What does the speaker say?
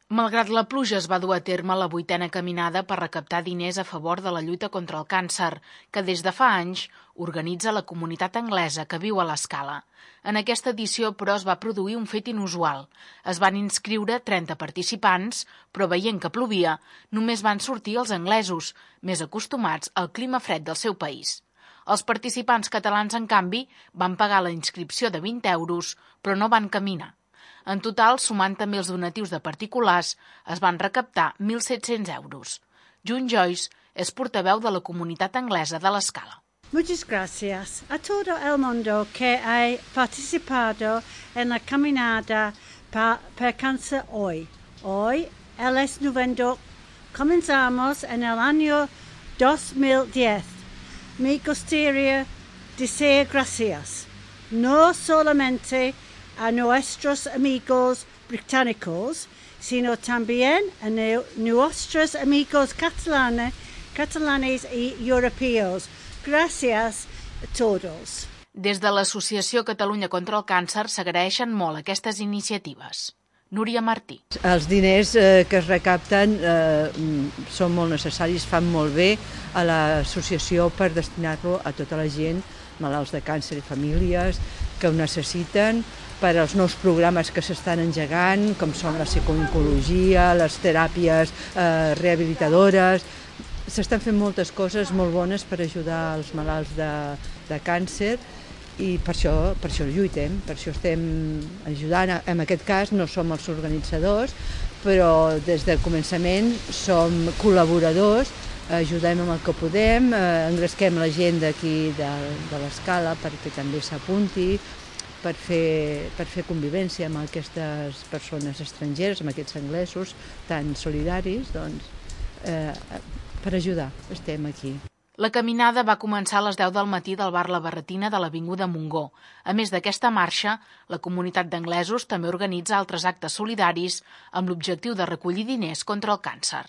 Malgrat la pluja, es va dur a terme la 8a caminada per recaptar diners a favor de la lluita contra el càncer, que des de fa anys organitza la comunitat anglesa que viu a l'Escala. En aquesta edició, però, es va produir un fet inusual. Es van inscriure 30 participants, però veient que plovia, només van sortir els anglesos, més acostumats al clima fred del seu país. Els participants catalans, en canvi, van pagar la inscripció de 20 euros, però no van caminar. En total, sumant també els donatius de particulars, es van recaptar 1.700 euros. June Joyce és portaveu de la comunitat anglesa de l'Escala. Muchas gracias. A todo el mundo que ha participado en la caminada per cáncer hoy. Hoy, el es noveno. Comenzamos en el año 2010. Me gustaría decir gracias, no solamente a nuestros amigos británicos, sino también a nuestros amigos catalanes y europeos. Gracias a todos. Des de l'Associació Catalunya contra el Càncer s'agraeixen molt aquestes iniciatives. Núria Martí. Els diners que es recapten són molt necessaris, fan molt bé a l'associació per destinar-lo a tota la gent, malalts de càncer i famílies que ho necessiten, per als nous programes que s'estan engegant, com són la psicooncologia, les teràpies rehabilitadores. S'estan fent moltes coses molt bones per ajudar els malalts de càncer i per això lluitem, per això estem ajudant. En aquest cas no som els organitzadors, però des del començament som col·laboradors, ajudem amb el que podem, engresquem la gent d'aquí de l'Escala perquè també s'apunti, per fer convivència amb aquestes persones estrangeres, amb aquests anglesos tan solidaris, doncs, per ajudar, estem aquí. La caminada va començar a les 10 del matí del bar La Barretina de l'Avinguda Montgó. A més d'aquesta marxa, la comunitat d'anglesos també organitza altres actes solidaris amb l'objectiu de recollir diners contra el càncer.